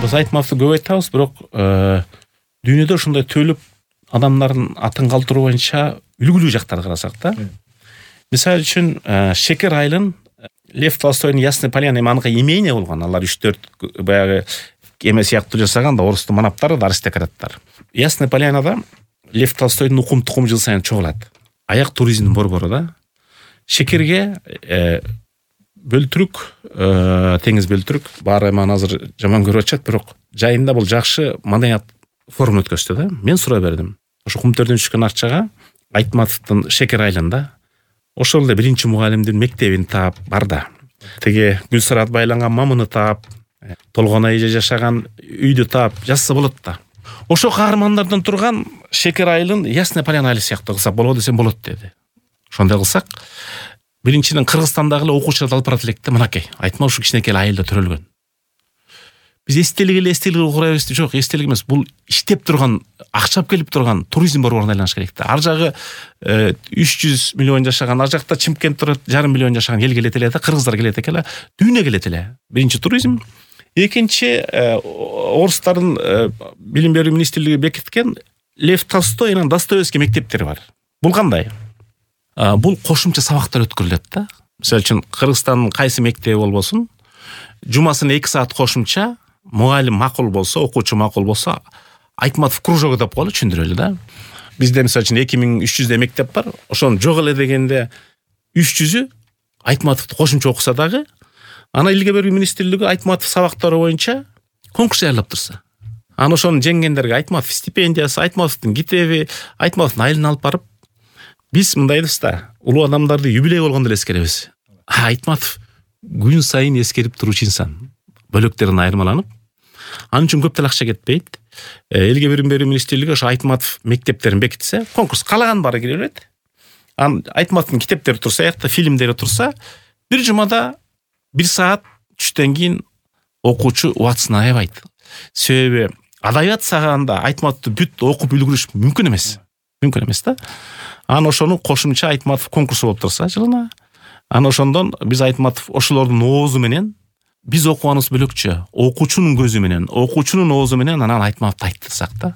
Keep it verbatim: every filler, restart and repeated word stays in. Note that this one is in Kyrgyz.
Биз Айтматовду көп айтабыз, бирок дүйнөдө ушундай төлөп адамдардын атын калтыруу боюнча үлгүлүү жактарды карасак да. Мисалы үчүн Шекер айылын Лев Толстойдун Ясный Поляна эманыкы имение болгон. Алар үч төрт баягы эме сыяктуу жасаган да, орустун манаптары да, аристократтар. Ясный Полянада Лев Толстойдун укум тукум жыл сайын чогулат. Аяк туризмдин борбору да. Шекерге бөлтүрүк, теңиз бөлтүрүк баары маны азыр жаман көрүп атышат, бирок жайында бул жакшы маданият форум өткөздү да. Мен сурай бердим. Ошо кумтөрдөн түшкөн акчага Айтматовдун Шекер айылында ошол эле биринчи мугалимдин мектебин таап бар да. Теге Гүлсарат байланган мамыны таап, толгон айжа жашаган үйдү таап жазса болот да. Ошо каармандардан турган Шекер айылын Ясный Поляна айылы сыяктуу кылсак болобу десем болот деди. Ошондой кылсак, биринчиден Кыргызстандагы эле окуучулар алып барат элек да, мынакей. Айтма ушу кичинекей айылда төрөлгөн. Биз эстелик эле эстелик курабыз, жок, эстелик эмес, бул иштеп турган, акчап келип турган туризм борборуна айланыш керек да. Ар жагы үч жүз миллион жашаган, ар жакта Чымкент турат, жарым миллион жашаган эл келет эле да, кыргыздар келет экен эле, дүйнө келет эле. Биринчи туризм, экинчи орустардын билим берүү министрлиги бекиткен Лев Толстой менен Достоевский мектептери бар. Бул кандай? Бул кошумча сабактар өткөрүлөт да. Мисалы үчүн Кыргызстандын кайсы мектеби болбосун, жумасына эки саат кошумча мугалим макул болсо, окуучу макул болсо, Айтматов кружогу деп коелу, түшүндүрөлү да. Бизде мисалы үчүн эки миң үч жүздөй мектеп бар. Ошону жок эле дегенде үч жүзү Айтматовду кошумча окуса дагы, ана илге берүү министрлиги Айтматов сабактары боюнча конкурс даярдап турса. Аны ошону жеңгендерге Айтматов стипендиясы, Айтматовдун китеби, Айтматовдун айылына алып барып, биз мындай дейбиз да, улуу адамдарды юбилей болгондо эле эскеребиз. Айтматов күн сайын эскерип туручу инсан. Бөлөктерин айырмаланып, анын үчүн көп деле акча кетпейт. Элге билим берүү министрлиги ошо Айтматов мектептерин бекитсе, конкурс каалаган баары кире берет. Ан Айтматовдун китептери турса, аякта фильмдери турса, бир жумада бир саат түштөн кийин окуучу убактысын аябайт. Себеби адабият сагында Айтматовду бүт окуп үлгүрүш мүмкүн эмес. Мүмкүн эмес да. Аны ошону кошумча Айтматов конкурсу болуп турса жылына, аны ошондон биз Айтматов ошолордун оозу менен, биз окуганыбыз бөлөкчө, окуучунун көзү менен, окуучунун оозу менен анан Айтматовду айттырсак да.